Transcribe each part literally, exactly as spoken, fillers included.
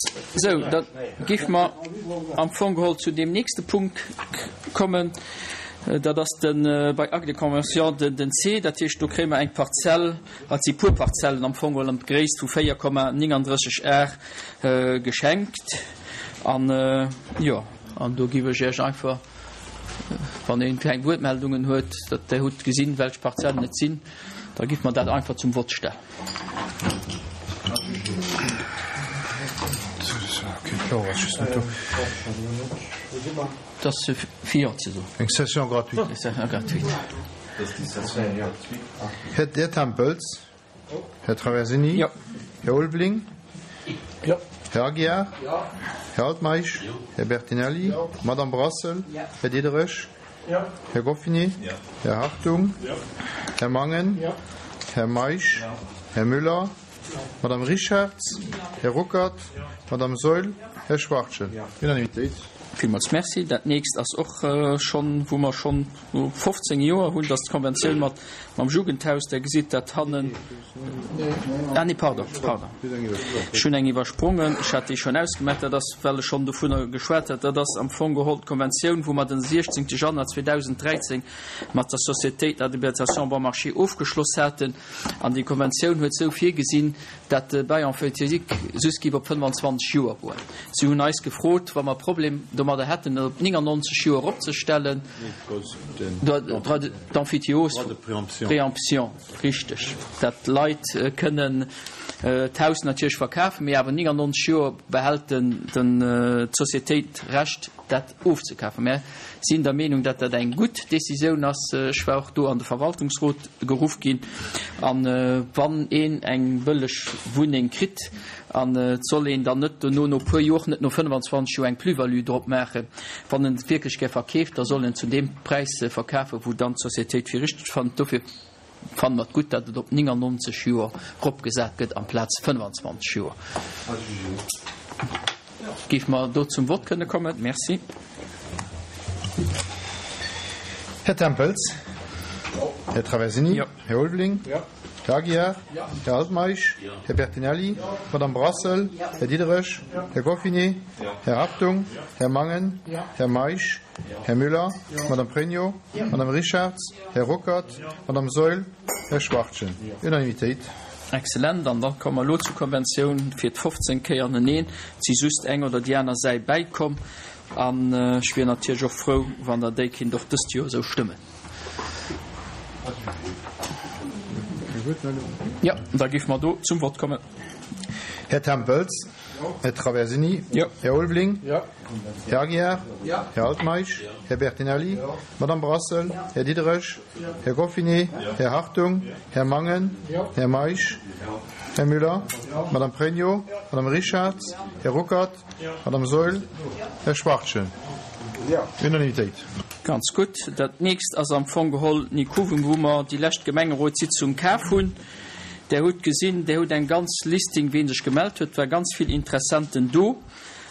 Sou, da géife mer am Fong geholl zu deem nächste Punkt kommen. Dat ass de bei Acte de convention den C. Dat heescht, do kréie mer eng Parzell, et si puer Parzellen am Fong geholl an d'Gréisst vu véier Komma nénganddrësseg Ar geschenkt. An, jo, an do géif ech Iech einfach, wann een keng Wuertmeldungen huet, datt Der hutt gesinn, welch Parzellen et sinn, da géife mer dat einfach zum Vott stellen. Dat ass fir Jo ze soen. Eng Session gratuite. Eng Session gratuite. Här Tempels? Här Traversini? Jo. Här Ulveling? Jo. Här Aguiar? Jo. Här Altmeisch? Jo. Här Bertinelli? Jo. Madame Brassel? Jo. Här Diderich? Jo. Här Goffinet? Jo. Här Hartung? Jo. Här Mangen? Jo. Här Meisch? Jo. Här Müller? Madame Richartz? Här Ruckert? Madame Saeul? Här Schwachtgen? Unanimitéit. Villmools Merci. Dat nächst ass och schonn, wou mer schonn fofzéng Joer hunn, dat ass d'Konventioun mat mam Jugendhaus. Der gesitt dat hannen. Ah nee, pardon, pardon, ech hunn eng iwwersprongen. Ech hat déi schonn ausgemaach. Dat ass, well ech schonn dovunner geschwat hat, dat ass am Fong geholl d'Konventioun, wou mer den siechzéngte Januar zweedausenddräizéng mat der Société d'habilitation Bon Marché ofgeschloss haten. An déi Konventioun huet esou virgesinn, dat de Bail emphytéotique just géif op fënnefanzwanzeg Joer goen. Si hunn eis gefrot, wa mer Problem domadder hätten, et op néngannonzeg Joer eropzestellen. Droit d'emphytéose, préemption, richteg, dat d'Leit kënnen d'Haus natierlech verkafen, mee awer néngannonzeg Joer behält d'Sociétéit d'Recht, dat ofzekafen. Mär sinn der Meenung, datt dat eng gutt Décisioun ass. Ech war och do an de Verwaltungsrot geruff ginn. A wann een eng bëlleg Wunneng kritt, an et soll een dann net dono no puer Jor, net no fënnefanzwanzeg Joer eng Plus-value drop maachen, wann en et wierklech gär verkeeft, da soll en zu deem Präis verkafen, wou dann d'Sociétéit fir richteg fannt. Dofir fanne mer et gutt, datt et op néngannonzeg Joer eropgesat gëtt amplaz fënnwanzwanzeg Joer. Géife mer do zum Vott kënne kommen? Merci. Här Tempels? Här Traversini? Jo. Här Ulveling? Jo. Här Aguiar? Jo. Här Altmeisch? Jo. Här Bertinelli? Jo. Madame Brassel? Jo. Här Diderich? Jo. Här Goffinet? Jo. Här Hartung? Jo. Här Mangen? Jo. Här Meisch? Jo. Här Müller? Jo. Madame Pregno? Jo. Madame Richartz? Jo. Här Ruckert? Jo. Madame Saeul? Här Schwachtgen? Jo. Unanimitéit. Excellent. An da komme mer elo zur Konventioun fir d'fofzéng Kéier aneneen. Et si just eng oder déi aner Säit bäikomm. An ech wier natierlech och frou, wann Der déi kinnt och dëst Joer esou stëmmen. Jo, da géife mer do zum Vott kommen. Här Tempels? Här Traversini? Jo. Här Ulveling? Jo. Här Aguiar? Jo. Här Altmeisch? Här Bertinelli? Madame Brassel? Här Diderich? Här Goffinet? Här Hartung? Här Mangen? Här Meisch? Här Müller? Madame Pregno? Madame Richartz? Här Ruckert? Madame Saeul? Här Schwachtgen? Unanimitéit. Ganz gutt. Dat nächst ass am Fong geholl Nikuven, wou mer déi lescht Gemengerotssitzung kaf hunn. Der hutt gesinn, Der hutt eng ganz Listing, ween sech gemellt huet. Et war ganz vill Interessenten do.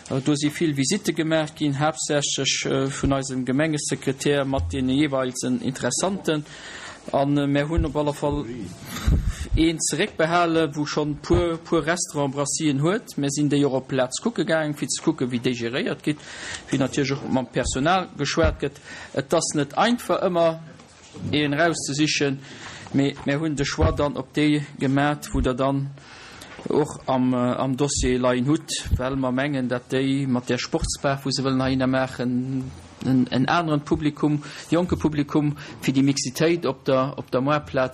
Do si vill Visitte gemaach ginn, haaptsächlech vun eisem Gemengesekretär mat deene jeeweilsen Interessanten. A mär hunn op alle Fall een zeréckbehale wou schonn puer puer Restaurant-Brassien huet. Mär sinn déi och op d'Plaz kucke gaangen, fir ze kucken, wéi déi geréiert gitt, wéi natierlech och mam Personal geschwat gëtt. Et ass net einfach ëmmer een erauszesichen, mee mär hunn de Choix dann op déi gemat, wou Der dann och am am Dossier leien hutt, well mer mengen, dat déi mat där Sportsbar, wou se wëllen heihinner maachen, en en aneren Publikum, jonke Publikum, fir déi Mixitéit op der op der Moartplaz.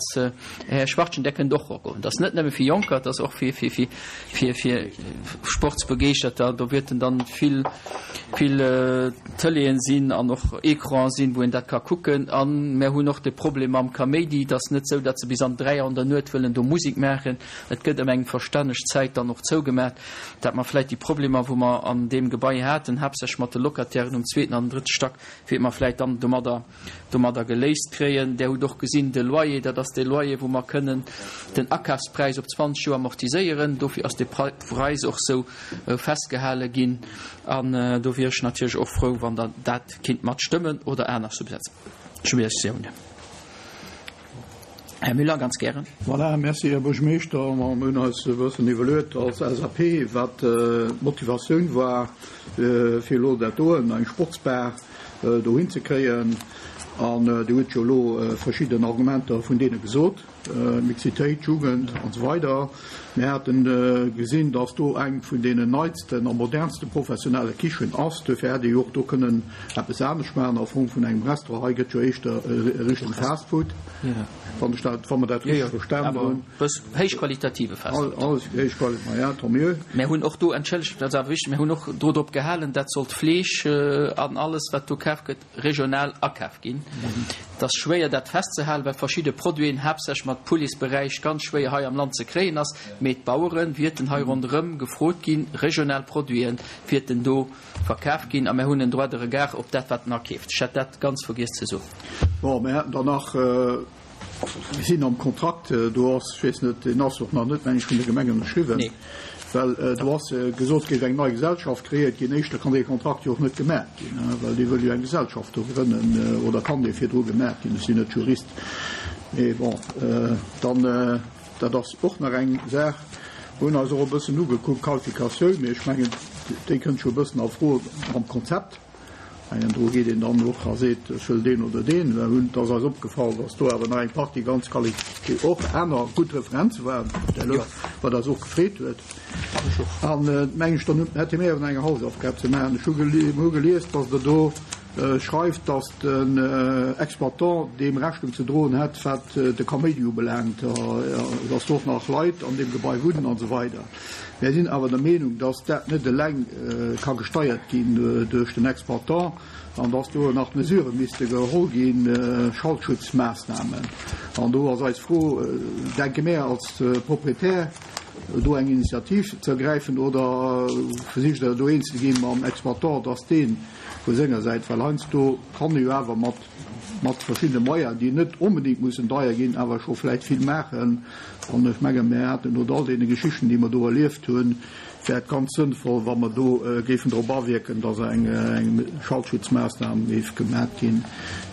Här Schwachtgen, där kënnt och erogoen. Dat ass net nëmme fir Jonker, dat ass och fir fir fir fir fir Sportsbegeeschterter. Do wäerten dann vill vill Tëleeën sinn an och Ecranen sinn, wou een dat ka kucken. A mär hunn och de Problem mam Kaméidi. Et ass net esou, datt se bis an dräi an der Nuet wëllen do Musek maachen. Et gëtt ëm eng verstänneg Zäit dann och zougemat, dat mer vläicht déi Problemer, wou mer an deem Gebai haten, haaptsächlech mat de Locatairen um zweeten an drëtte Stack, wäerte mer vläicht dann domadder domadder geléist kréien. Där hutt och gesinn, de Loyer, dat ass dee Loyer, wou mer kënnen den Akafspräis op zwanzeg Joer amortiséieren. Dofir ass dee Präis och esou festgehale ginn. An do wier ech natierlech och frou, wann Der dat kinnt matstëmmen oder aner Subventiounen. Här Müller, ganz gären. Voilà, merci, Här Buergermeeschter. Mer hunn eis e bëssen iwwerluet als L S A P, wat d'Motivatioun war, fir elo dat doen, eng Sportsbar dohin ze kréien. An Dir hutt jo elo verschidden Argumenter vun deene gesot, Mixitéit, Jugend an esou weider. Mir hate gesinn, dass do eng vun deenen neitsten a modernste professionelle Kichen ass. Duerfir hätt ee jo och do kënnen eppes anescht maachen a Form vun engem Restaurant. Hei gëtt jo éischter Richtung Fastfood, wann ech dat, wa mer dat richteg verstanen hunn. Héichqualitative Fastfood. Alles héichqualitativ, ma ja, tant mieux. Mir hunn och do, entschëllegt, dat ass awer wichteg, mir hunn och do drop gehalen, dat sollt Fleesch an alles, wat do kaf gëtt, regional akaf ginn. Et ass schwéier dat festzehalen, well verschidde Produiten, haaptsächlech mat Pouletsberäich, ganz schwéier hei am Land ze kréien ass, mee d'Bauere wierten hei ronderëm gefrot ginn, regional Produiten wierten do verkaf ginn a mir hunn en Droit de regard op dat wat en akeeft. Ech hat dat ganz vergiess ze soen. Bon, mir hätten dann nach, mir sinn am Kontrakt, do ass, ech weess net, deen ass och nach net, meng ech, vun der Gemeng ënnerschriwwen. Nee. Well do ass gesot ginn, eng nei Gesellschaft kreéiert ginn. Éischter kann dee Kontrakt jo och net gemaach ginn, well déi wëll jo eng Gesellschaft do grënnen, oder kann dee virdru gemaach ginn? Ech sinn net Jurist. Mee bon, dann, dat ass och nach eng Saach. Mir hunn eis och e bëssen ugekuckt, Qualifikatioun, mee ech mengen, déi kënnt scho e bëssen a Fro am Konzept. Mengen, do geet een dann och a seet, ech wëll deen oder deen. Mir hunn, et ass eis opgefall, datt do awer nach eng Partie ganz quali, och aner gutt Referenze waren, wat eis och gefreet huet. An meng ech, dann hätte mir awer eng Hausaufgab ze maachen. Ech hu hu gelies, datt Der do schreift, datt den Exploitant deem Rechnung ze droen hätt, wat de Kaméidi ubelaangt, datt do och nach Leit an deem Gebai wunnen an esou weider. Mir sinn awer der Meenung, datt dat net eleng ka gesteiert ginn duerch den Exploitant an datt do nach Mesurë misste geholl ginn, Schaltschutzmaassnamen. An do ass eis Fro, denke mir als Proprietär do eng Initiativ ze ergräifen oder versicht Der do eens ze ginn mam Exploitant, datt dee vu senger Säit, well heiansdo kann ee jo awer mat mat verschiddene Moyenen, déi net onbedéngt mussen deier ginn, awer scho vläicht vill maachen. An ech menge mir haten no all deene Geschichten, déi mer do erlieft hunn, wär et ganz sënnvoll, wa mer do géifen drop awierken, datt eng eng Schaltschutzmaassnam géif gemat ginn,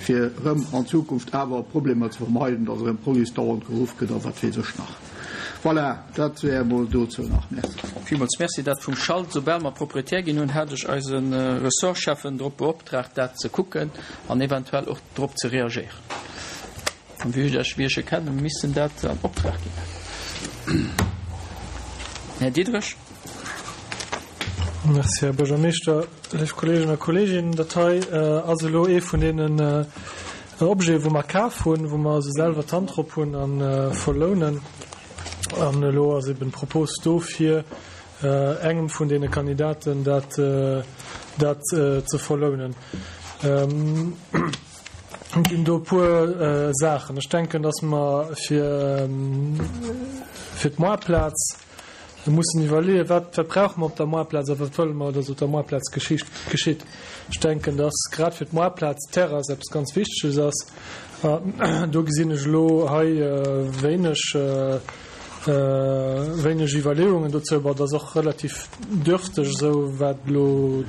fir erëm an Zukunft awer Problemer ze vermeiden, datt erëm d'Police dauernd geruff gëtt a wat weess ech nach. Voilà, dat wär emol dozou nach. Merci. Villmools merci. Dat vum Schalt, soubal mer Proprietär ginn hunn, hat ech eise Ressortscheffen drop beoptraagt, dat ze kucken an eventuell och drop ze reagéieren. An wéi ech wéi ech e kennen, missten dat an Optrag ginn. Här Diderich. Merci, Här Buergermeeschter. Léif Kolleegen a Kolleeginnen, dat hei ass elo ee vun deenen Objeten, wou mer kaf hunn, wou mer also selwer d'Hand drop hunn a verlounen. An elo ass eben d'Propos do, fir engem vun deene Kandidaten dat dat ze verlounen. Et ginn do e puer Saachen. Ech denken, dass mer fir fir d'Moartplaz mussen iwwerleeën, wat wat brauche mer op der Moartplaz a wat wëlle mer, dass op der Moartplaz geschicht geschitt. Ech denken, dass grad fir d'Moartplaz d'Terrass eppes ganz Wichteges ass. Do gesinn ech elo hei wéineg wéineg Iwwerleeungen dozou. Bon, dat ass och relativ dürfteg esou, wat elo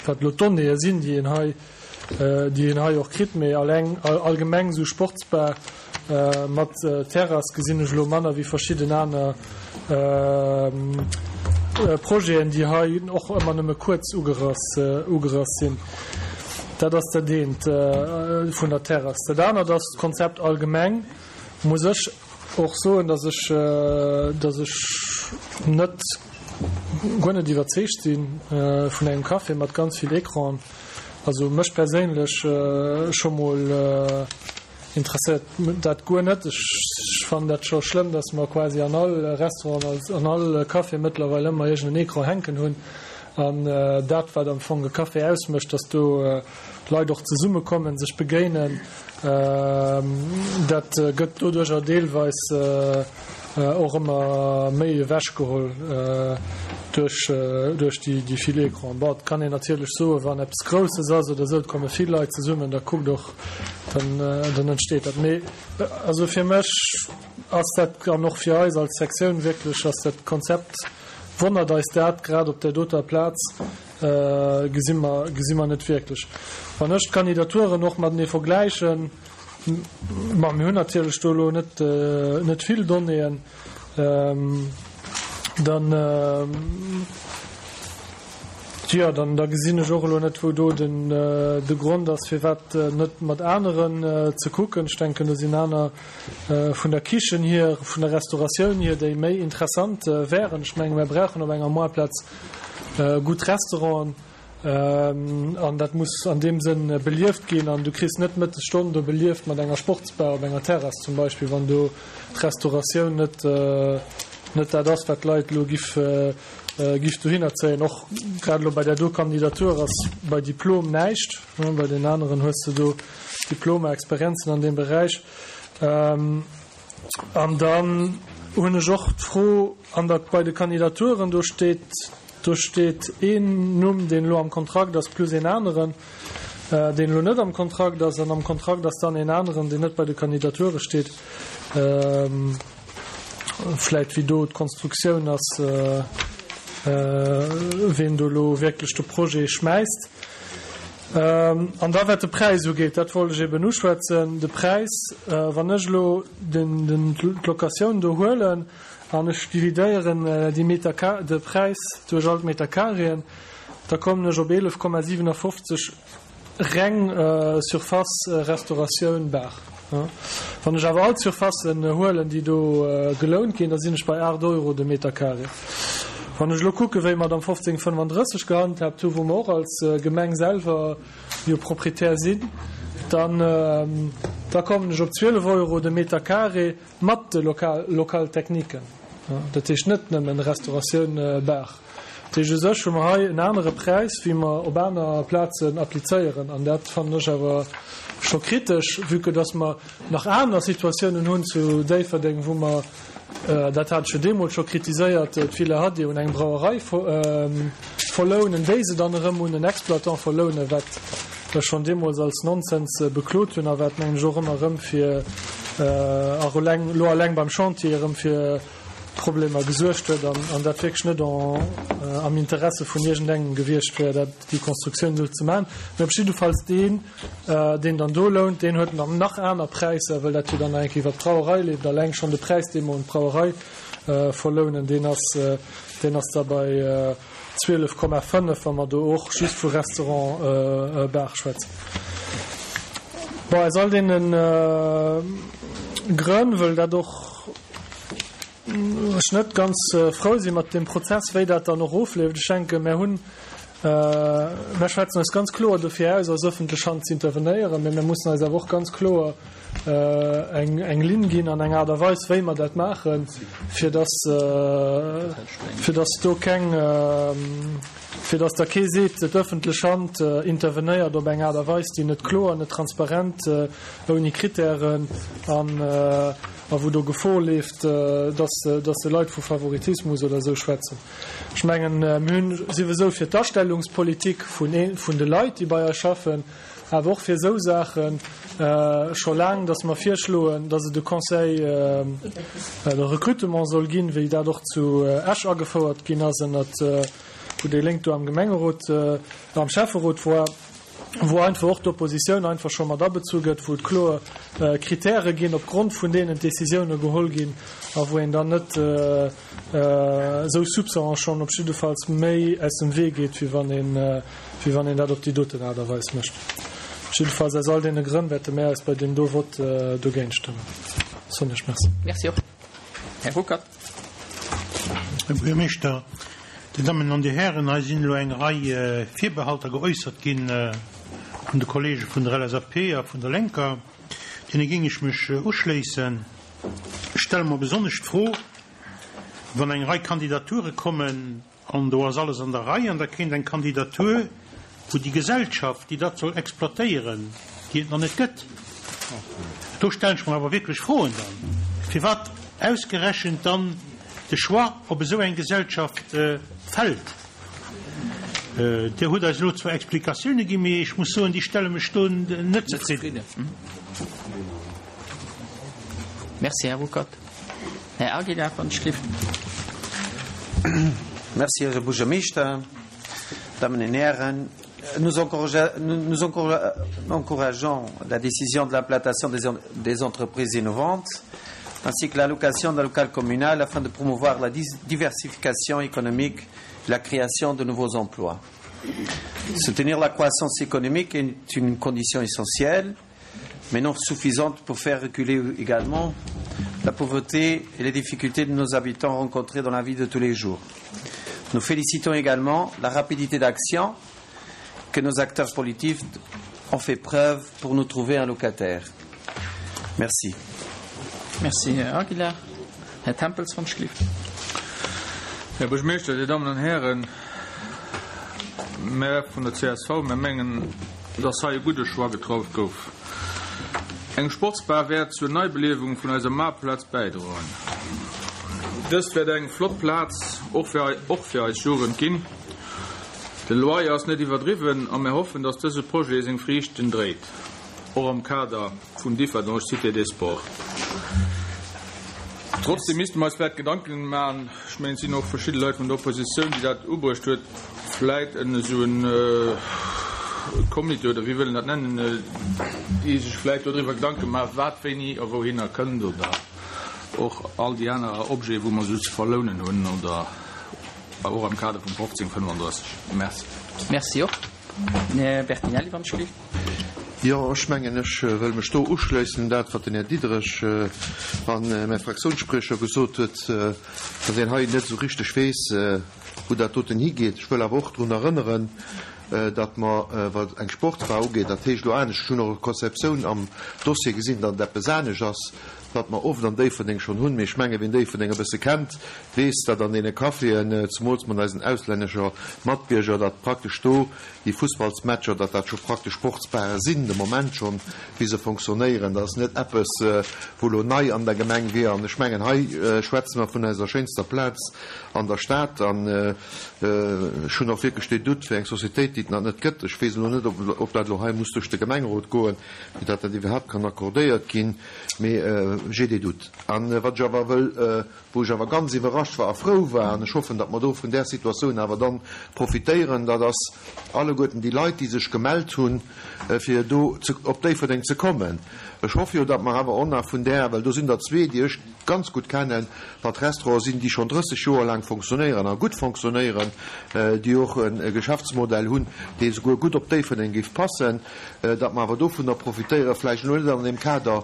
wat elo d'Donnéeë sinn, déi een hei déi een hei och kritt. Mee alleng allgemeng esou Sportsbar mat Terrass gesinn ech elo manner wéi verschidden aner Projeten, déi hei och ëmmer nëmme kuerz ugerass ugerass sinn. Dat ass dat eent vun der Terrass. Dat anert ass d'Konzept allgemeng. Muss ech och soen, dass ech dass ech net guer net iwwerzeegt si vun engem Café mat ganz vill Ecranen. Also mech perséinlech scho mol interesséiert dat guer net. Ech fannen dat scho schlëmm, dass mer quasi an all Restaurant, an all Café mëttlerweil ëmmer iergend en Ecran hänken hunn. An dat, wat am Fong e Café ausmécht, dass do Leit och zesummekommen, sech begéinen, dat gëtt doduercher deelweis och ëmmer méi ewechgeholl duerch duerch déi déi vill Ecranen. Bon, et kann een natierlech soen, wann eppes Grousses ass oder esou, et komme vill Leit zesummen, da kuckt och, dann dann entsteet dat. Mee also fir mech ass dat, an och fir eis als Sektioun wierklech, ass dat Konzept, wonnert eis dat grad op där doter Plaz, gesi mer gesi mer net wierklech. Wann ech d'Kandidaturen och matenee vergläichen, Ma mir hunn natierlech do elo net, net vill Donnéeën. Dann, jo, dann da gesinn ech och elo net, wou do den, de Grond ass, firwat net mat aneren ze kucken. Ech denken, do sinn aner vun der Kichen hier, vun der Restauratioun hier, déi méi interessant wären. Ech menge mir brauchen op enger Moartplaz gutt Restauranten. An dat muss an deem Sënn belieft ginn. An du kriss net d'Mëttesstonn do belieft mat enger Sportsbar op enger Terrass zum Beispill, wann do d'Restauratioun net, net dat ass, wat d'Leit elo giff, giff dohinner zéien. Och grad elo bei där do Kandidatur ass bei Diplom näischt. Bei den aneren hues de do Diplomer, Experienzen an deem Beräich. An dann hunn ech och d'Fro an der, bei de Kandidaturen, do steet, do steet een Numm, deen elo am Kontrakt ass, plus een aneren, deen elo net am Kontrakt ass. An am Kontrakt ass dann een aneren, deen net bei de Kandidature steet. Vläicht wéi do d'Konstruktioun ass, ween do elo wierklech de Projet schmäisst. An da wat de Präis ugeet, dat wollt ech eben uschwätzen, de Präis, wann ech elo d'Locatioun do huelen an ech dividéieren déi Meter, de Präis duerch all d'Metercarréen, da kommen ech op eelef Komma siwenafofzeg reng Surface Restauratioun Bar. Wann ech awer all d'Surfacen huelen, déi do gelount ginn, da sinn ech bei aacht Euro de Metercarré. Wann ech elo kucken, wéi mer et am fofzéng fënnefandrësseg gehandhaabt hu, wou mer och als Gemeng selwer jo Proprietär sinn, dann, da kommen ech op zwielef Euro de Meter carré mat de Local-techniquen. Dat heescht net nëmmen Restauratioun, Bar. Dat heescht, u sech hu mer hei en anere Präis, wéi mer op aner Plazen applizéieren. An dat fannen ech awer scho kritesch, vue que dass mer nach aner Situatiounen hunn zu Déifferdeng, wou mer, dat hat ech jo deemools scho kritiséiert, d'Villa Hadi un eng Brauerei verlounen, déi se dann erëm un en Exploitant verlounen, wat ech schonn deemools als Nonsens beklot hunn a wat, mengen ech, och ëmmer erëm fir, eleng elo eleng beim Chantier erëm fir Problemer gesuergt huet an dat wierklech net am Interesse vun iergendengem gewiescht wär, dat déi Konstruktioun esou ze maachen. Mee op jiddefalls deen, deen dann do lount, deen huet dann nach aner Präisser, well dat jo dann nach eng Kéier iwwer d'Brauerei leeft. Alleng schonn de Präis, dee mer un d'Brauerei verlounen, deen ass, deen ass da bei zwielef Komma fënnef, wa mer do och just vu Restaurant Bar schwätzen. Bon, aus all deene Grënn, wëll dat och ech net ganz frou si mat deem Prozess, wéi dat dann och ofleeft. Ech denken, mär hunn, mär schwätzen eis ganz kloer dofir aus, als öffentlech Hand ze intervenéieren, mä mär mussen eis awer och ganz kloer eng, eng Linn ginn an eng Aart a Weis, wéi mer dat maachen, fir dass, fir dass do keng, fir dass da kee seet, d'öffentlech Hand intervenéiert op eng Aart a Weis, déi net kloer, net transparent, ouni Kritären an, a wou do Gefor leeft, dass dass Leit vu Favoritismus oder esou schwätzen. Ech mengen, mir hunn souwisou fir d'Astellungspolitik vun vun de Leit, déi bei eis schaffen, awer och fir esou Saache scho laang, dass mer virschloen, dass et e Conseil de recrutement soll ginn, wéi dat och zu Esch agefouert ginn ass, ënnert wou déi Lénk do am Gemengerot, am Schäfferot war. wou einfach och d'Oppositioun einfach scho mat abezu gëtt, wou et kloer Kritäre ginn, opgrond vun deenen d'Décisioune geholl ginn a wou een dann net esou Soupçonen schonn op jiddefalls méi aus dem Wee geet, wéi wann een, wéi wann een dat op déi doten Aart a Weis mécht. Jiddefalls aus all deene Grënn wäerte mär eis bei deem do Vott dogéint stëmmen. Soen ech Merci. Merci och. Här Ruckert. Här Buergermeeschter, Dir Dammen an Dir Hären, hei sinn elo eng Rei Virbehalter geäussert gi vun de Kollege vun der L S A P a vun der Lénker. Deene géing ech mech uschléissen. Ech stelle mer besonnesch d'Fro, wann eng Rei Kandidature kommen an do ass alles an der Rei an da kéint eng Kandidatur, wou déi Gesellschaft, déi dat soll exploitéieren, déi et nach net gëtt, do stellen ech mer awer wierklech Froen dann, firwat ausgerechent dann de Choix op esou eng Gesellschaft fält. Dir hutt eis elo zwar Explikatioune ginn, mee ech muss soen, déi stelle mech do net zefridden. Merci, Här Ruckert. Här Aguilar, wann ech gelift. Merci, Här Buergermeeschter, Dammen an Hären. Nous, encourage, nous, nous encourageons la décision de l'implantation des, des entreprises innovantes ainsi que l'allocation d'un local communal afin de promouvoir la diversification économique et la création de nouveaux emplois. Soutenir la croissance économique est une condition essentielle, mais non suffisante pour faire reculer également la pauvreté et les difficultés de nos habitants rencontrées dans la vie de tous les jours. Nous félicitons également la rapidité d'action que nos acteurs politiques ont fait preuve pour nous trouver un locataire. Merci. Merci, Här Aguilar. Här Tempels van Schliff. Här Buergermeeschter, Dir Dammen an Hären, mär vun der csv, mär mengen, dass hei e gudde Choix getraff gouf. Eng Sportsbar wäert zur Neibeliewung vun eiser Maarplaz bäidroen. Dëst wäert eng flott Plaz och fir, och fir eis Jugend ginn. De Loyer ass net iwwerdriwwen a mär hoffen, dass dëse Projet seng Friichten dréit, och am Kader vun Differdange Cité des Sports. Trotzdem misste mer eis vläit Gedanken maachen, ech mengen, et sinn och verschidde Leit vun der Oppositioun, déi dat ubruecht huet, vläit en esou en Comité oder wéi wëll een dat nennen, déi sech vläit dodriwwer Gedanke maachen, wat wéini a wouhinner kënnt oder och all déi aner Objete wou mer esou ze verlounen hunn oder och am Kader vum fofzéng fënnefandrësseg. Merci. Merci och. Här Bertinelli, wann ech gelift. Jo, ech mengen, ech wëll mech do uschléissen un dat, wat den Här Diderich an mäi Fraktiounsspriecher gesot huet, datt een hei net esou richteg weess, wou dat doten higeet. Ech wëll awer och drun erënneren, datt mer, wat eng Sportsbar ugeet, dat heescht elo anescht, ech hunn och e Konzeptioun am Dossier gesinn, datt et eppes anescht ass, wat mer oft an Déifferdeng schonn hunn, mee ech menge wien Déifferdeng e bësse kennt, weess, datt an deene Caféen, zemools mat eisen auslännescher Matbierger, datt praktesch do déi Fussballsmatcher, datt dat scho praktesch Sportsbare sinn, de Moment schonn, wéi se fonctionnéieren. Dat ass net eppes, wou elo nei an der Gemeng wier. An ech mengen, hei schwätze mer vun eiser schéinster Plaz an der Stad. An ech hunn och wierklech dee Doute fir eng Societéit, déi et nach net gëtt. Ech weess elo net, ob dat elo hei muss duerch de Gemengerot goen, fir datt dat iwwerhaapt kann accordéiert ginn, mee j'ai des doutes. An wat ech awer wëll, wou ech awer ganz iwwerrascht war a frou war, an ech hoffen, datt mer do vun där Situatioun awer dann profitéieren, dat ass alleguerten déi Leit, déi sech gemellt hunn, fir do op Déifferdeng ze kommen. Ech hoffe jo, datt mer awer och nach vun där, well do sinn der zwee, déi ech ganz gutt kennen, wat Restaurante sinn, déi schonn drësseg Joer laang fonctionnéieren a gutt fonctionnéieren, déi och e Geschäftsmodell hunn, dee souguer gutt op Déifferdeng géif passen, datt mer awer dovunner profitéieren, vläicht elo net an deem Kader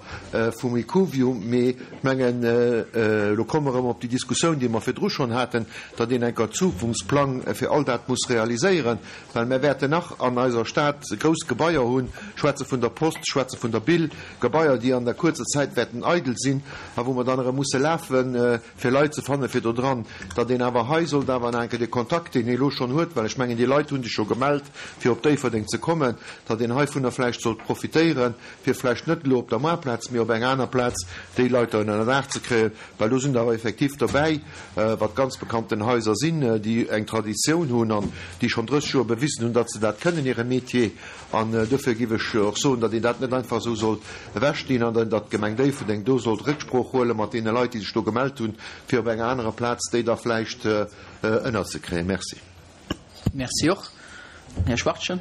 vum Icuvio, mee ech mengen, elo komme mer erëm op déi Diskussioun, déi mer virdru schonn haten, datt een enker Zukunftsplang fir all dat muss realiséieren, well mer wäerten nach an eiser Stad grouss Gebaier hunn, ech schwätze vun der Post, ech schwätze vun der Bill, Gebaier, déi an der kuerzer Zäit wäerten eidel sinn a wou mer dann erëm musse lafen, fir Leit ze fannen, fir do dran, datt een awer hei sollt awer nach eng Kéier dee Kontakt, deen ee elo schonn huet, well ech mengen, déi Leit hu sech scho gemellt, fir op Déifferdeng ze kommen, datt een heivunner vläicht sollt profitéieren, fir vläicht net elo op der Moartplaz, mee op enger aner Plaz déi Leit da ënnerdaach ze kréien, well do sinn der awer effektiv dobäi, wat ganz bekannten Haiser sinn, déi eng Traditioun hunn an déi schonn drësseg Joer bewisen hunn, datt se dat kënnen, hire Métier. An dofir géif ech och soen, datt een dat net einfach esou sollt ewechdinn an datt d'Gemeng Déifferdeng do sollt Récksprooch huele mat deene Leit, déi sech do gemellt hunn, fir op enger anerer Plaz déi da vläicht ënnerzekréien. Merci. Merci och. Här Schwachtgen.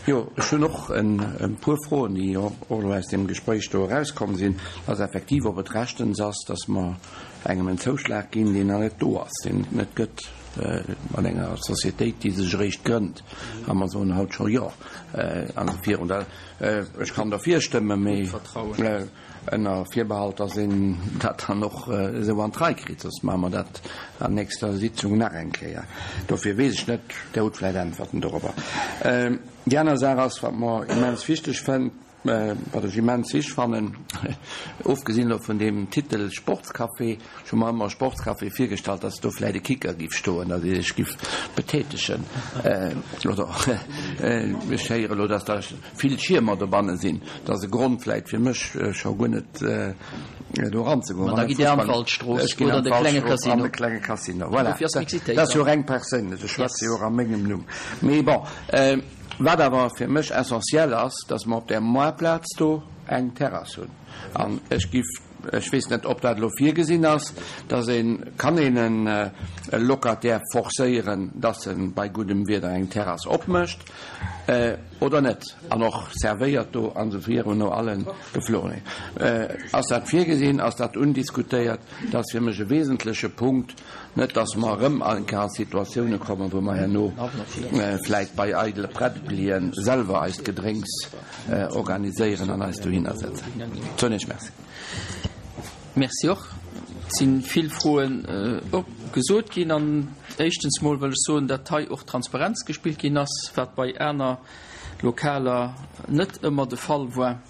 Jo, ech hunn och e puer Froen, déi och elo aus deem Gespréich do erauskomm sinn. Ass effektiv, ob et rechtens ass, datt mer engem en Zouschlag ginn, deen nach net do ass, deen et net gëtt, mat enger Societéit, déi sech eréischt grënnt. A mer soen haut scho Jo. An virun der, ech kann derfir stëmmen, mee ënner Virbehalt, dass een dat dann och esou an d'Rei kritt, soss maache mer dat an nächster Sitzung nach eng Kéier. Dofir weess ech net, Der hutt vläicht Äntwerten dorobber. Déi aner Saach ass, wat mer immens wichteg fënn, wat ech immens wichteg fannen, ofgesinn elo vun deem Titel Sportscafé, ech hu mer ëmmer Sportscafé virgestallt, dass do vläicht e Kicker giff stoen, dass ee sech giff betätegen. Oder ech héiere elo, dass da vill Schiermer dobanne sinn. Dat ass e Grond vläicht fir mech scho guer net do eranzegoen. Ma da gitt Dir an d'Waldstrooss Ech ginn oder an de klenge d'Waldstrooss an Casino. de klenge Casino. Voilà. Dofir ass d'Mixitéit Dat ass jo dann. reng perséinlech. Ech schwätze Yes. jo och a mengem Numm. Mee bon, wat awer fir mech essentiell ass, dass mer op där Moartplaz do eng Terrass hunn. An ech giff Ech weess net, ob dat elo virgesinn ass, dass een, kann een en e Locataire forcéieren, dass en bei guddem Wieder eng Terrass opmécht oder net, an och servéiert do an esou virun no allen Geflogenheeten. Ass dat virgesinn? Ass dat undiskutéiert? Dat ass fir mech e wesentleche Punkt. Net, dass mer erëm eng Kéier a Situatioune kommen, wou mer herno vläit bei eidele Prättlien selwer eist Gedrénks organiséieren an eis dohinner setzen. Soen Iech Merci. Merci och. Et si vill Froen gesot ginn. An éischtens mol wëll ech soen, datt hei och Transparenz gespillt ginn ass, wat bei aner Lokaler net ëmmer de Fall war.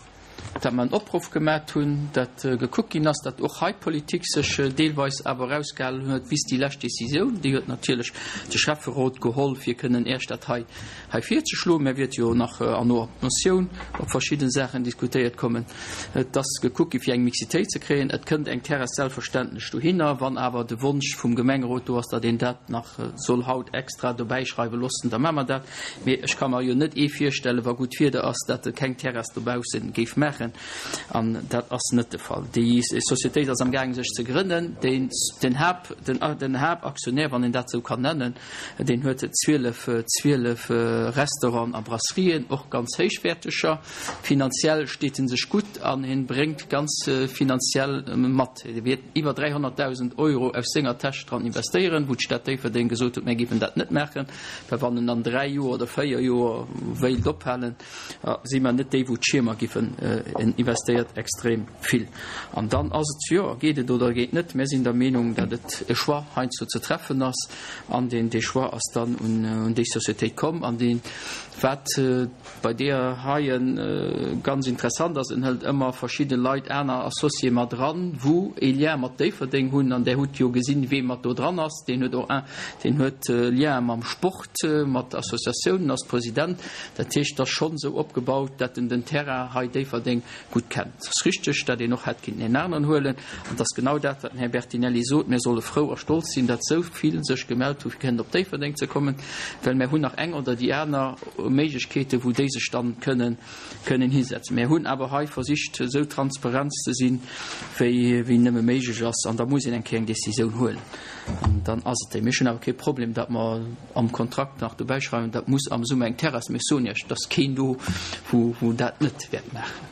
Dat mer en Opruff gemat hunn, dat gekuckt ginn ass, dat och hei d'Politik sech deelweis awer erausgehalen huet bis déi lescht Décisioun. Déi huet natierlech de Schäfferot geholl, fir kënnen Iech dat hei hei virzeschloen. Mä wäert jo nach an no Motioun op verschidde Saachen diskutéiert kommen. Et ass gekuckt gi fir eng Mixitéit ze kréien. Et kënnt eng Terrass selbstverständlech dohinner, wann awer de Wonsch vum Gemengerot do ass, datt een dat nach soll haut extra dobäischreiwe loossen, da maache mer dat. Mee ech ka mer jo net ee virstellen, wa gutt Wieder ass, datt e keng Terrass dobausse géif maachen. An dat ass net de Fall. Déi Societéit ass amgaangen, sech ze grënnen. Den, den Haupt, den, den Haaptaktionär, wann een dat esou kann nennen, deen huet zwielef, zwielef Restauranten a Brasserien, och ganz héichwäerteger. Finanziell steet en sech gutt an hien bréngt ganz finanziell mat. Hie wäert iwwer dräihonnertdausend Euro aus senger Täsch dran investéieren, wou d'Stad Déifferdeng gesot huet, mär géifen dat net maachen, well wann en an dräi Joer oder véier Joer wéilt ophalen, si mer net déi, wou d'Schiermer giffen. En investéiert extrem vill. An dann ass et, jo, geet et oder geet net. Mär sinn der Meenung, datt et e Choix heiansdo ze treffen ass. An deen, dee Choix ass dann un déi Sociétéit komm. An deen, wat bei deeër heie ganz interessant ass, en hëlt ëmmer verschidde Leit, aner Associéë mat eran, wou ee Lien mat Déifferdeng hunn. An där hutt jo gesinn, wee mat do dran ass. Deen huet och un, deen huet Liene mam Sport, mat Associatiounen, ass President. Dat heescht, et ass schonn esou opgebaut, datt en den Terrain hei Déifferdeng gutt kennt. Et ass richteg, datt een och hätt kinnten een aneren huelen. An et ass genau dat, wat den Här Bertinelli sot, Mir solle frou a stolz sinn, datt esou vill sech gemellt hu fir kënnen op Déifferdeng ze kommen, well mir hunn nach eng oder déi aner Méiglechkeeten, wou déi sech dann kënnen, kënnen hisetzen. Mir hunn awer hei versicht, esou transparent ze sinn, wéi, wéi nëmme méiglech ass. An da muss een eng Kéier eng Décisioun huelen. An dann ass et déi. Mir hunn awer kee Problem, datt mer am Kontrakt nach dobäi schreiwen, dat muss am Summer eng Terrass. Mir soen Iech, et ass keen do, wou, wou dat net wäert maachen.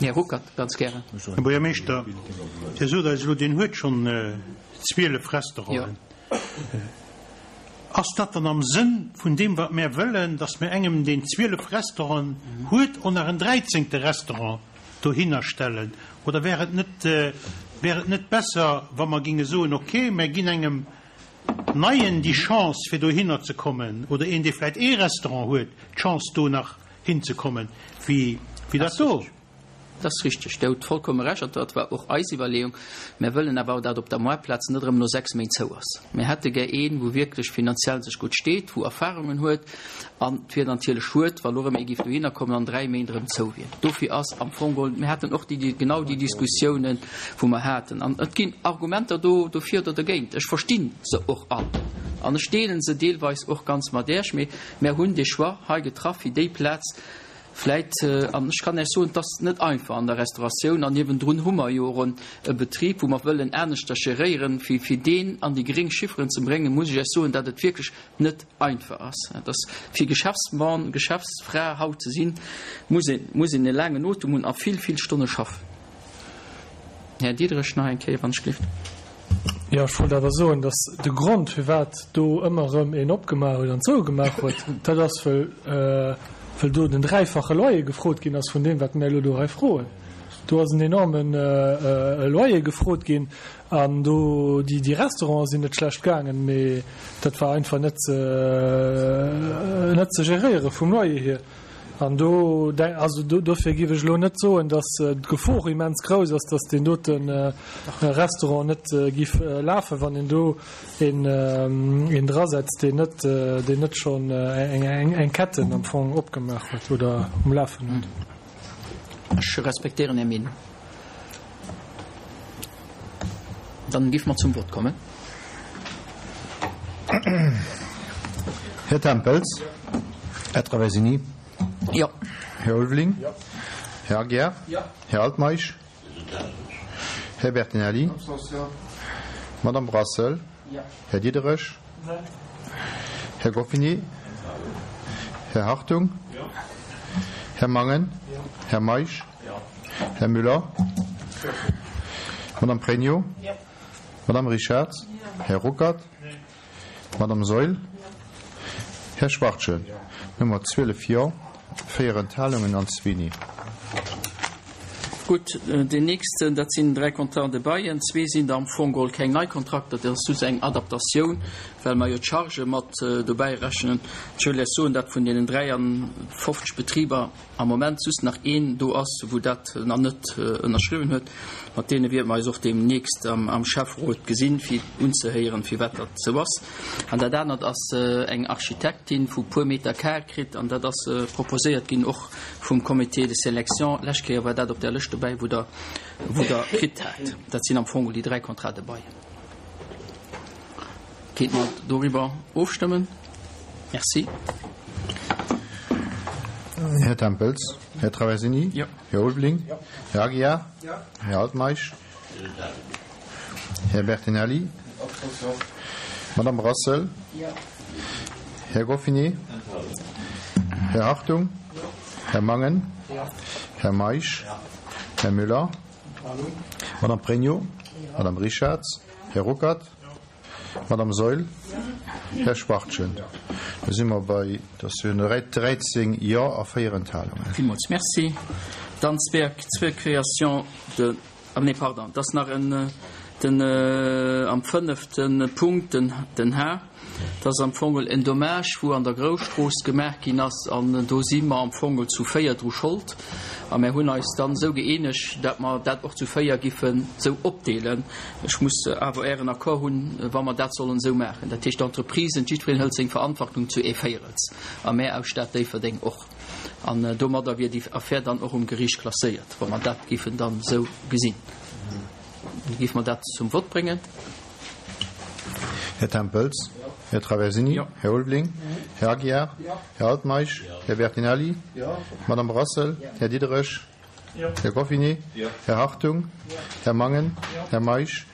Här Ruckert, ganz gären. Här Buergermeeschter, Dir sot eis elo, deen huet schonn zwielef Restauranten. Ass dat dann am Sënn vun deem, wat mär wëllen, datt mir engem, deen zwielef Restauranten huet, och nach en dräizéngte Restaurant dohinner stellen? Oder wär et net, wär et net besser, wa mer géinge soen, okay, mär ginn engem Neien déi Chance, fir dohinner ze kommen, oder een, dee vläicht ee Restaurant huet, d'Chance, do nach hinzekommen, wéi dat do? Dat ass richteg. Dir hutt vollkomme Recht. An dat war och eis Iwwerleeung. Mär wëllen awer, datt op der Moartplaz net erëm no sechs Méint zou ass. Mär hätte gär een, wou wierklech finanziell sech gutt steet, wou Erfahrungen huet. An et wier natierlech schued, wa lo erëm ee géif dohinner kommen an dräi Méint erëm zou wier. Dofir ass am Fong geholl, mir haten och déi, genau déi Diskussiounen, wou mer haten. An et ginn Argumenter do dofir oder dergéint. Ech versti se och all an ech deele se deelweis och ganz mat Iech. Mee mär hunn dee Choix hei getraff, fir déi Plaz vläit, an ech kann Iech soen, et ass net einfach an der Restauratioun, an niewendrun hu mer jo och e Betrib, wou mer wëllen aneschter geréieren, fir, fir deen an déi gréng Chifferen ze bréngen, muss ech Iech soen, datt et wierklech net einfach ass. Et ass fir Geschäftsmann, Geschäftsfra haut ze sinn, muss een, muss een e laangen Otem hunn a vill, vill Stonne schaffen. Här Diderich, nach eng Kéier, wann ech gelift. Jo, ech wollt awer soen, datt de Grond, firwat do ëmmer erëm een opgemaach huet an zougemaach huet, dat ass, wëll, wëll do den dräifache Loyer gefrot ginn ass vun deem, wat mir elo do hei froen. Do ass en enorme Loyer gefrot ginn an do déi, déi Restaurante sinn net schlecht gaangen, mee dat war einfach net ze, net ze geréiere vum Loyer hier. An do, also dofir géif ech elo net soen, datt d'Gefor immens grouss ass, datt deen dote Restaurant net géif lafen, wann een do een drasetzt, deen net, deen net schonn eng Ketten am Fong opgemaach huet oder um Lafen huet. Ech respektéieren Är Meenung. Dann géife mer zum Vott kommen. Här Tempels. Här Traversini. Jo. Här Ulveling. Här Aguiar. Här Altmeisch. Här Bertinelli? Madame Brassel? Här Diderich? Här Goffinet? Här Hartung? Här Mangen? Här Meisch? Här Müller? Madame Pregno? Madame Richards? Här Ruckert? Madame Seul? Här Schwartchen? Nummer zwielef Jo, véier Enthalungen an zwee Nee. Gutt, deen nächsten, dat sinn dräi Contrats de bail. Zwee sinn der am Fong geholl keng nei Kontrakter, dat ass just eng Adaptatioun, well mer jo d'Chargë mat dobäi rechnen. Ech wëll lech soen, datt vun deenen dräianfofzeg Betriber am Moment just nach een do ass, wou dat nach net ënnerschriwwen huet. Mat deene wäerte mer eis och deemnächst am Schäfferot gesinn, fir unzehéieren, firwat dat esou ass. An dat anert ass eng Architektin, wou e puer Meter carré kritt, an dat ass proposéiert ginn och vum Comité de sélection. Lescht Kéier war dat op där Lëscht dobäi, wou Der, wou Der kritt hat. Dat sinn am Fong déi dräi Contrats de bail. Kéint mer doriwwer ofstëmmen? Merci. Här Tempels, Här Traversini, Jo. Här Ulveling, Här Aguiar, Här Altmeisch, Här Bertinelli, Madame Brassel, Här Goffinet, Här Hartung, Här Mangen, Här Meisch, Här Müller, Madame Pregno, Madame Richards, Här Ruckert, Madame Seul, Här Schwachtgen. Da si mer bei, dat sinn dräizéng Jo a véier Enthalungen. Villmools Merci. Dann zwee, zwee Créations de, ah nee, pardon, dat ass nach en, den, am fënnefte Punkt, den, den H. Dat ass am Fong en Dommage, wou an der Grousstrooss gemaach ginn ass, an do si mer am Fong zu véier dru Schold. A mär hunn eis dann esou gëeenegt, dat mer dat och zu véier giffen esou opdeelen. Ech muss awer Ären Accord hunn, wa mer dat sollen esou maachen. Dat heescht, d'Entreprisen, jiddwereen hëlt seng Verantwortung zu ee Véierels, a mär aus Stad Déifferdeng och. An domadder wier déi Affär dann och um Geriicht klasséiert, wa mer dat giffen dann esou gesinn. Géife mer dat zum Vott bréngen? Här Tempels, Här Traversini, Här Ulveling, Här Aguiar, Här Altmeisch, Här Bertinelli, Madame Brassel, Här Diderich, Här Goffinet, Här Hartung, Här Mangen, Här Meisch,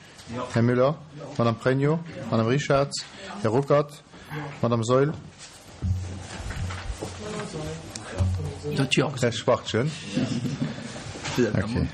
Här Müller, Madame Pregno, Madame Richards, Här Ruckert, Madame Seul, Här Schwachtgen. Okay.